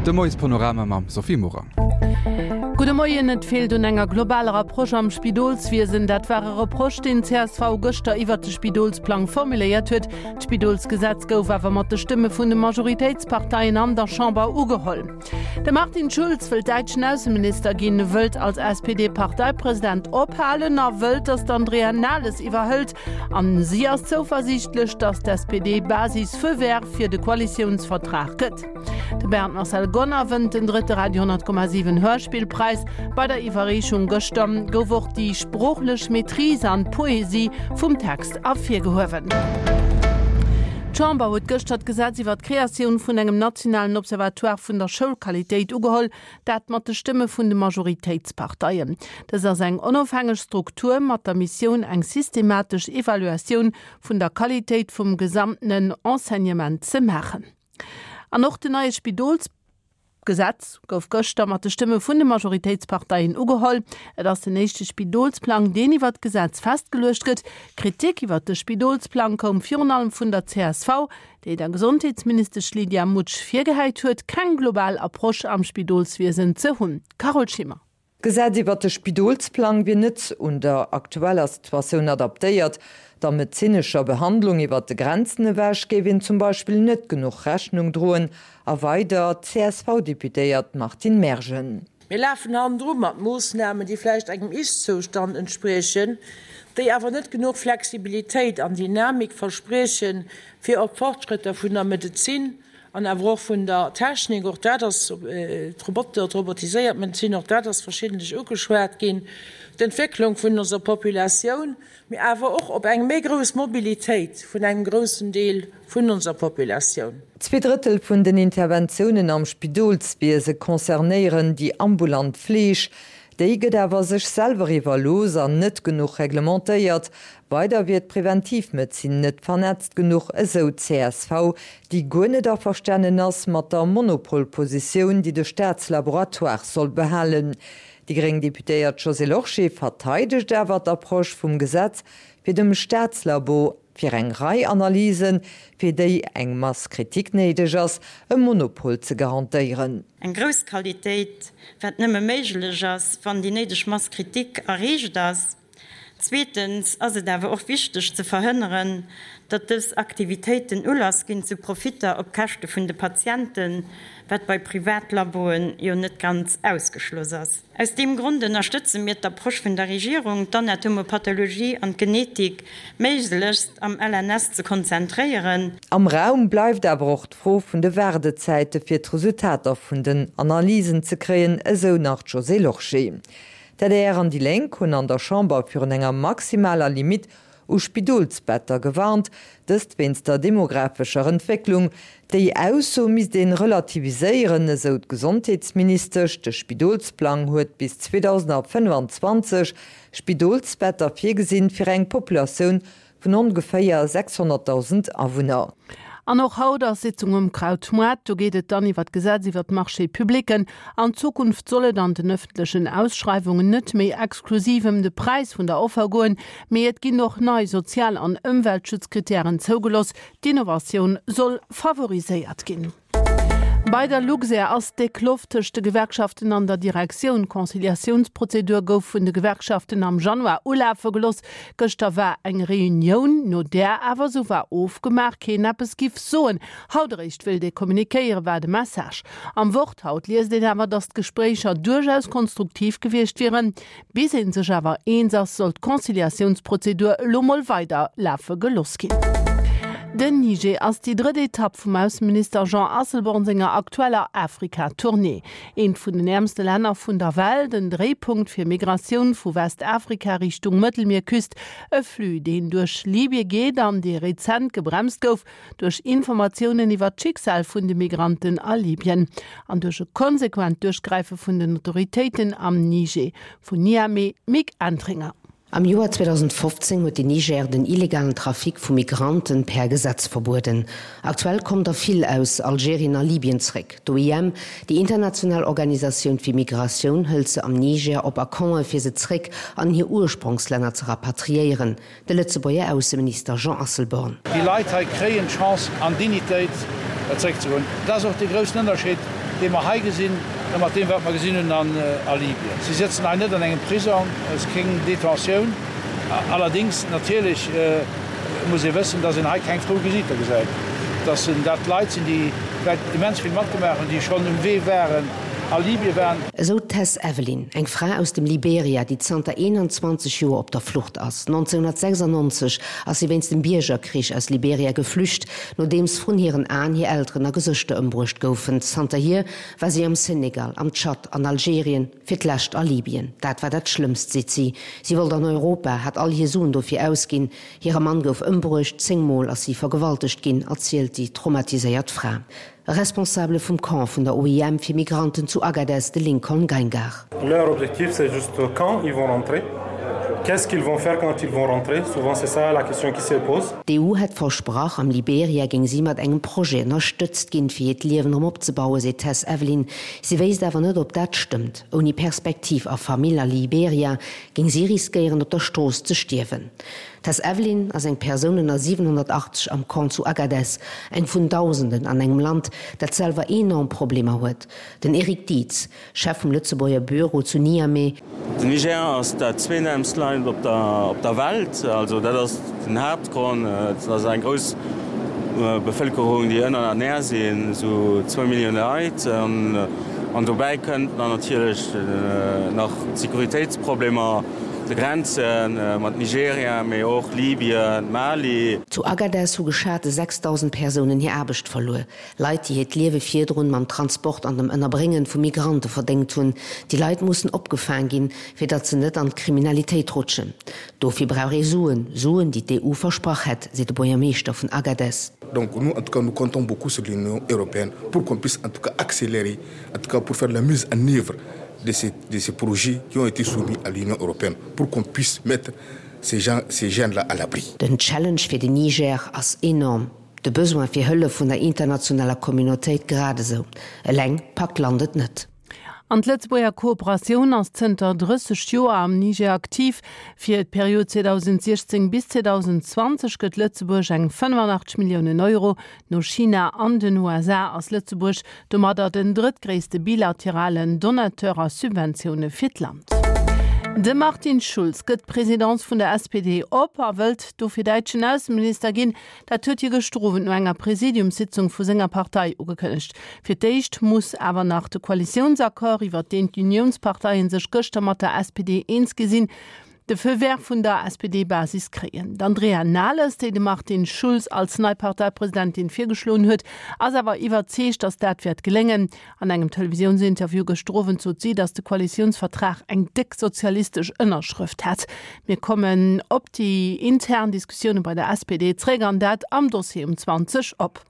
De Moiespanorama mam Sophie Morang. Gudde Moien, Et feelt un enger globaler Approche am Spidolswiesen. Dat war e Reproche, deen csv gëschter iwwert de Spidolsplang formuléiert huet. D'Spidolsgesetz gouf awer mat de Stëmme vun de Majoritéitsparteien an der Chamber ugeholl. De Martin Schulz wëllt däitschen Ausseminister ginn, wëllt als SPD-Parteipresident ophalen a wëllt, datt d'Andrea Nahles iwwerhëlt. An si ass zouversiichtlech, datt d'SPD-Basis Feu vert fir de Koalitiounsvertrag gëtt. De Bernd Marcel Gonner wënnt den drëtte Radio 10,7 Hörspillpräis. Bei der Iwwerreechung gëschter gouf och déi sproochlech Maîtrise an d'Poesie vum Text ervirgehuewen. D'Chamber huet gëschter d'Gesetz iwwer d'Kreatioun vun engem nationalen Observatoire vun der Schoulqualitéit ugeholl, dat mat de Stëmme vun de Majoritéitsparteien. Dës ass eng onofhängeg Struktur mat der Missioun eng systematesch Evaluatioun vun der Qualitéit vum gesamtenen Enseignement ze maachen. An och den neie Spidolsgesetz gouf gëschter mat de Stëmme vun de Majoritéitsparteien ugeholl. Et ass den éischte Spidolsplang, deen iwwert d'Gesetz festgeluecht gëtt. Kritik iwwert de Spidolsplang koum virun allem vun der csv, déi der Gesondheetsministesch Lydia Mutsch virgehäit huet, keng global Approche am Spidolswiesen ze hunn. Carole Schimmer. D'Gesetz iwwert de Spidolsplang wier net un der aktueller Situatioun adaptéiert. Der medezinescher Behandlung iwwert de Grenzen ewech géif een zum Beispill net genuch Rechnung droen, erweidert d'CSV-Deputéiert Martine Mergen. Mir lafen hannendru mat Moossnamen, déi vläicht engem Ist-Zoustand entspriechen, déi awer net genuch Flexibilitéit an Dynamik verspriechen, fir op d'Fortschrëtter vun der Medezin An awer och vun der Technik, och dat ass, d'Roboter, d'robotiséiert Medezin, och dat ass verschiddentlech ugeschwat ginn, d'Entwécklung vun onser Populatioun, mee awer och op eng méi grouss Mobilitéit vun engem groussen Deel vun onser Populatioun. Zweedrëttel vun den Interventiounen am Spidolswiese concernéieren déi ambulant Fleeg. Déi gëtt awer sech selwer iwwerlooss an net genuch reglementéiert. Weider wier d'Preventivmedezin net vernetzt genuch, esou d'CSV, déi guer net averstanen ass mat der Monopolpositioun, déi de Staatslaboratoire soll behalen. Déi gréng Deputéiert Josée Lorsché verteidegt awer d'Approche vum Gesetz, fir dem Staatslabo fir eng Rei Analysen, fir déi eng Masse critique néideg ass, e Monopol ze garantéieren. Eng grouss Qualitéit, wat nëmme méiglech ass, wann déi néideg Masse critique erreecht ass. Zweetens ass et awer och wichteg ze verhënneren, datt dës Aktivitéiten Ulass ginn zu Profitter op Käschte vun de Patienten, wat bei Privatlaboen jo net ganz ausgeschloss ass. Aus deem Grond ënnerstëtze mir d'Approche vun der Regierung, d'Anatomopathologie an d'Genetik méiglechst am LNS ze konzentréieren. Am Raum bleift awer och d'Fro vun de Waardezäite fir d'Resultater vun den Analysen ze kréien, esou nach d'Josée Lorsché. D'adr an déi Lénk hunn an der Chamber virun enger maximaler Limitt u Spidolsbetter gewarnt, dëst wéinst der demographescher Entwécklung. Déi Ausso misst een relativiséieren, esou d'Gesondheetsministesch. De Spidolsplang huet bis 2025 Spidolsbetter virgesinn fir eng Populatioun Vun ongeféier 600.000 Awunner. An och haut ass Sitzung um Krautmoart. Do geet et dann iwwer d'Gesetz iwwer d'Marchés publics. An Zukunft soll et an den ëffentlechen Ausschreiwungen net méi exklusiv ëm de Präis vun der Offer goen, mee et ginn och nei Sozial an Ëmweltschutzkrittären zougeloss. D'Innovatioun soll favoriséiert ginn. Bei der Luxair ass déck Loft tëscht de Gewerkschaften an der Direktioun. D'Conciliatiounsprozedur gouf vun de Gewerkschaften am Januar ulafe gelooss. Gëschter war eng Reunioun, no där awer, sou war ofgemaach, keen eppes giff soen. Haut eréischt wéilt ee kommunikéieren, war de Message. Am Wort haut liest een awer, datt d'Gespréicher duerchaus konstruktiv gewiescht wieren. Bis ee sech awer eens ass, soll d'Conciliatiounsprozedur elo mol weider lafe gelooss ginn. Den Niger ass déi drëtt Etapp vum Ausseminister Jean Asselborn senger aktueller Afrika-Tournée. Eent vun den äermste Länner vun der Welt, en Dréipunkt fir Migratioun vu Westafrika Richtung Mëttelmierküst, e Flux, deen duerch Libye geet an dee rezent gebremst gouf duerch Informatiounen iwwer d'Schicksal vun de Migranten a Libyen an duerch e konsequent Duerchgräife vun den Autoritéiten am Niger. Vun Niamey, Mick Entringer. Am Joer 2015 huet den Niger den illegalen Trafic vu Migranten per Gesetz verbueden. Aktuell kommen der vill aus Algerien a Libyen zréck. D'OIM, déi international Organisatioun fir Migratioun, hëlt se am Niger op a Campen, fir se zréck an hir Urspronkslänner ze rapatriéieren. De Lëtzebuerger Ausseminister Jean Asselborn. Déi Leit hei kréien d'Chance an Dignitéit zeréckzegoen. Dat ass och dee groussen Ënnerscheed. dee mer hei gesinn, a mat deem, wat mer gesinn hunn a Libyen. Si sëtzen hei net an engem Prisong, et ass keng Detentioun. Allerdéngs natierlech muss ee wëssen, dass een hei keng frou Gesiiter gesäit, dass dat Leit sinn, déi vläicht immens vill matgemaach hunn, déi schonn um Wee waren, a Libyen waren. Esou d'Tess Evelyn, eng Fra aus dem Liberia, déi zanter 21 Joer op der Flucht ass. 1996 ass si wéinst dem Biergerkrich aus Liberia geflücht, nodeems vrun hiren Aen hir Elteren a Gesëschter ëmbruecht goufen. Zanterhier war si am Senegal, am Tschad, an Algerien, fir d'lescht a Libyen. Dat war dat Schlëmmst, seet si. Si wollt an Europa, hat all hir Suen dofir ausginn. Hire Mann gouf ëmbruecht, 10 Mol ass si vergewaltegt ginn, erzielt déi traumatiséiert Fra. E Responsabele vum Camp vun der OIM fir Migranten zu Agadez, de Lincoln Geingar. Leur objectif c'est juste quand ils vont rentrer, qu'est-ce qu'ils vont faire quand ils vont rentrer, souvent c'est ça la question qui se pose. D'EU hätt versprach, am Liberia géing si mat engem Projet ënnerstëtzt ginn, fir hiert Liewen erëm opzebauen, seet d'Tess Evelyn. Si wéisst awer net, ob dat stëmmt. Ouni Perspektiv a Famill a Liberia géing si riskéieren, op der Strooss ze stierwen. D'Tess Evelyn ass eng Persoun ënner 780 am Camp zu Agadez, eng vun Dausenden an engem Land, dat selwer enorm Problemer huet. Den Eric Dietz, Chef vum Lëtzebuerger Büro zu Niamey. Den Niger ass dat zweetäermst Land op der Welt. Also dat ass den Haaptgrond. Et ass eng grouss Bevëlkerung, déi ënnerernär sinn, esou zwou Millioune Leit. An dobäi kënnt dann natierlech nach d'Sécuritéitsproblemer. De Grenze mat Nigeria, mee och Libyen, Mali. Zu Agadez hu geschate 6.000 Persounen hir Aarbecht verluer. Leit, déi hiert Liewe virdrun mam Transport an dem Ënnerbréngen vu Migrante verdéngt hunn. Déi Leit mussen opgefaang ginn, fir datt se net an d'Kriminalitéit rutschen. Dofir brauch ee Suen, Suen, déi d'EU versprach hätt, seet de Buergermeeschter vun Agadez. Donc nous en tout cas nous comptons beaucoup sur l'Union européenne pour qu'on puisse en tout cas accélérer, en tout cas pour faire la mise en œuvre de ces, de ces projets qui ont été soumis à l'Union européenne pour qu'on puisse mettre ces gens, ces jeunes-là à l'abri. Den Challenge fir den Niger ass enorm, de Besoin fir Hëllef vun der internationaler Communautéit grad esou. Eleng packt d'Land et net. An d'Lëtzebuerger Kooperatioun ass zënter 30 Joer am Niger aktiv. Fir d'Period 2016 bis 2020 gëtt Lëtzebuerg eng 85 Milliounen Euro No China an den USA ass Lëtzebuerg domadder den drëttgréisste bilateralen Donateur a Subventioune fir d'Land. De Martin Schulz gëtt d'Presidence vun der SPD op a wëllt dofir däitschen Ausseminister ginn. Dat huet hie gëschter Owend no enger Presidiumssitzung vu senger Partei ugekënnegt. Fir d'éischt muss awer nach de Koalitiounsaccord, iwwer deen d'Uniounsparteie sech gëschter mat der SPD eens gi sinn, de Feu vert vun der SPD-Basis kréien. D'Andrea Nahles, déi de Martin Schulz als nei Parteipresidentin virgeschloen huet, ass awer iwwerzeegt, datt dat wäert geléngen. An engem Televisiounsinterview gëschter Owend sot si, datt de Koalitiounsvertrag eng déck sozialistesch Ënnerschrëft hätt. Mir kommen op déi intern Diskussioune bei der SPD zréck, an dat am Dossier um 20 op.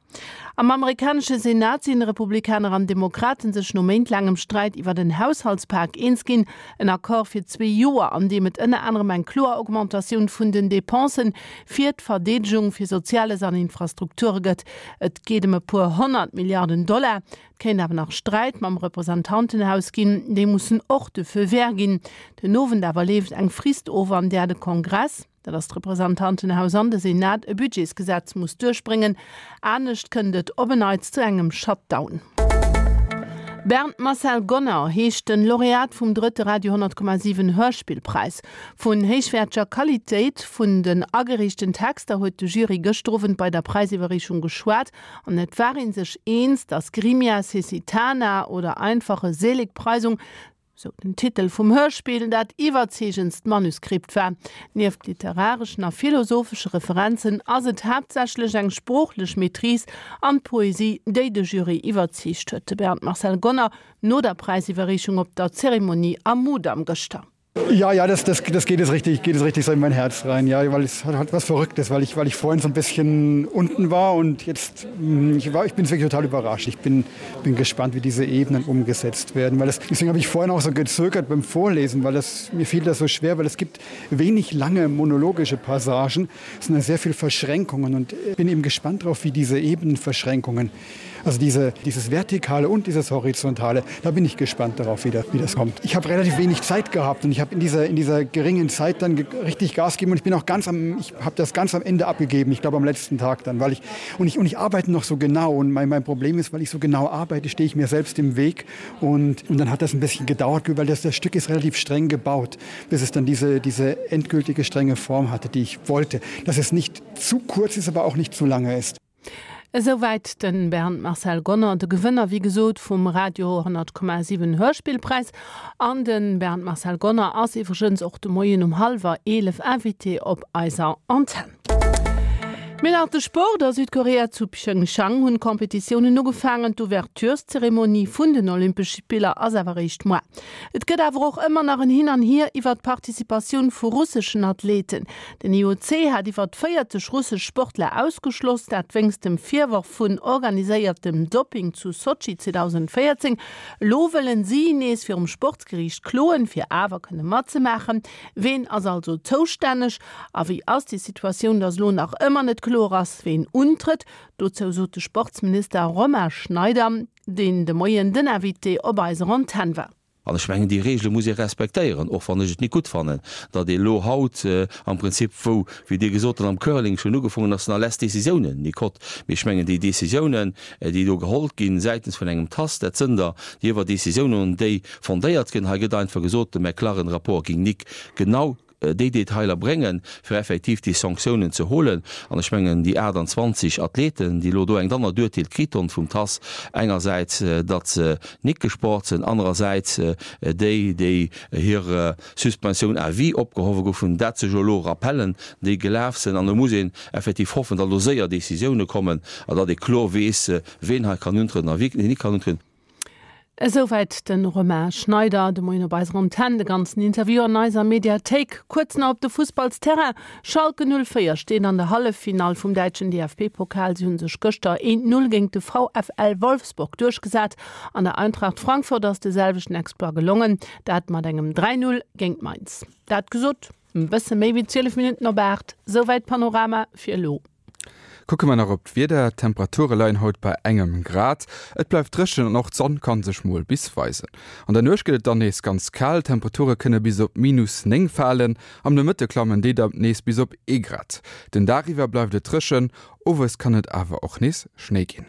Am amerikanesche Senat sinn Republikaner an Demokraten sech no méintlaangem Sträit iwwer en Haushaltspak eens ginn. En Accord fir zwee Joer, an deem et ënner anerem eng kloer Augmentatioun vun den Depensen fir d'Verdeedegung, fir Soziales an Infrastrukture gëtt. Et geet ëm e puer 100 Milliarden Dollar. Et kéint awer nach Sträit mam Representantenhaus ginn, déi mussen och de Feu vert ginn. Den Owend awer leeft eng Frist of, an där de Kongress, dat ass d'Representantenhaus an de Senat, e Budgetsgesetz muss duerchbréngen. Anescht kënnt et op en Neits zu engem Shutdown. Bernd Marcel Gonner heescht den Laureat vum drëtte Radio 10,7 Hörspillpräis. Vun héichwäerteger Qualitéit vun den agereechten Texter huet de Jury gëschter Owend bei der Präisiwwerreechung geschwat an et war ee sech eens, datt Grimia Cecitana oder Einfache Seligpreisung sou den Titel vum Hörspill, dat iwwerzeegendst Manuskript war. Nieft literareschen a philosophesche Referenzen ass et haaptsächlech eng sproochlech Maîtrise an d'Poesie, déi de Jury iwwerzeegt huet. De Bernd Marcel Gonner no der Präisiwwerreechung op der Zeremonie am Mudam gëschter. Ja, ja, das, das, das geht es richtig, geht es richtig so in mein Herz rein, ja, weil es hat, hat was Verrücktes, weil ich, weil ich vorhin so ein bisschen unten war und jetzt hm, ich war, ich bin wirklich total überrascht. Ich bin, bin gespannt, wie diese Ebenen umgesetzt werden, weil das, deswegen habe ich vorhin auch so gezögert beim Vorlesen, weil das, mir fiel das so schwer, weil es gibt wenig lange monologische Passagen, sondern sehr viel Verschränkungen und bin eben gespannt darauf, wie diese Ebenenverschränkungen. Also diese, dieses Vertikale und dieses Horizontale, da bin ich gespannt darauf, wie das, wie das kommt. Ich habe relativ wenig Zeit gehabt und ich habe in dieser, in dieser geringen Zeit dann richtig Gas gegeben und ich bin auch ganz am, ich habe das ganz am Ende abgegeben, ich glaube am letzten Tag dann, weil ich und ich, und ich arbeite noch so genau und mein, mein Problem ist, weil ich so genau arbeite, stehe ich mir selbst im Weg und, und dann hat das ein bisschen gedauert, weil das, das Stück ist relativ streng gebaut, bis es dann diese, diese endgültige strenge Form hatte, die ich wollte. Dass es nicht zu kurz ist, aber auch nicht zu lange ist. Esouwäit de Bernd Marcel Gonner, de Gewënner wéi gesot vum Radio 10,7 Hörspillpräis. An de Bernd Marcel Gonner ass iwwregens och de Moien um hallwer 11 Invité op eiser Antenn. Mir nach de Sport, A Südkorea zu Pyeongchang hunn d'Competitiounen ugefaangen. D'Ouvertureszeremonie vun den Olympesche Spiller ass awer eréischt moar. Et gëtt awer och ëmmer nach en Hin an Hier iwwer d'Participatioun vu russeschen Athleten. Den IOC hat iwwer 40 russesch Sportler ausgeschloss, dat wéinst dem Virworf vun organiséiertem Dopping zu Sotschi 2014. Elo wëllen si nees virum Sportsgeriicht kloen, fir awer kënne matzemaachen. Ween ass also zoustänneg a wéi ass déi Situatioun, datt elo nach ëmmer net kloer ass, ween untrëtt? Dozou sot de Sportsminister Romain Schneider, deen de Moien den Invité op eiser Antenn war. An ech mengen, déi Regele muss ee respektéieren, och wann ech et nik gutt fannen, datt ee elo haut am Prinzip, wou, wéi Dir gesot hutt, am Curling schonn ugefongen ass, nach less Décisiounen nik hott. Mee ech mengen, déi Décisiounen, déi do geholl ginn säitens vun engem TAS, dat sënn der, déi iwwer Décisiounen, déi fondéiert ginn. Hei gëtt einfach gesot, de McLaren-Rapport ging nik genau déi Detailer bréngen, fir effektiv déi Sanktiounen ze holen. An ech mengen, déi 28 Athleten, déi elo do eng dann erduerteelt kritt hunn vum TAS, engersäits, datt se nik gesport sinn, anerersäits déi, déi hir Suspensioun à vie opgehowe goufen, dat sech elo rappellen, déi gelaf sinn. An do muss een effektiv hoffen, datt elo séier Décisioune kommen a datt ee kloer weess, ween hei kann untrieden a wien nik kann untrieden. Esouwäit de Romain Schneider de Moien op eiser Antenn. De ganzen Interview an eiser Mediathéik. Kuerz nach op de Fussballsterrain, Schalke 04 steet an der Halleffinall vum däitschen DFB-Pokal. Si hu sech gëschter 1, 0 géint de VfL Wolfsburg duerchgesat. An der Eintracht Frankfurt ass de selwechten Exploit gelongen, dat mat engem 3, 0 géint Mainz. Dat gesot, e bësse méi wéi 12 Minutten op 8. Esouwäit Panorama fir elo. Kucke mer nach op d'Wieder, D'Temperature leien haut bei engem Grad. Et bleift dréchen an och d'Sonn kann sech mol bis weisen. An der Nuecht gëtt et dann nees ganz kal, d'Temperature kënne bis op minus 9 falen. Am Nomëtte klammen déi dann nees bis op ee Grad. Den Dag iwwer bleift et dréchen, owes kann et awer och nees Schnéi ginn.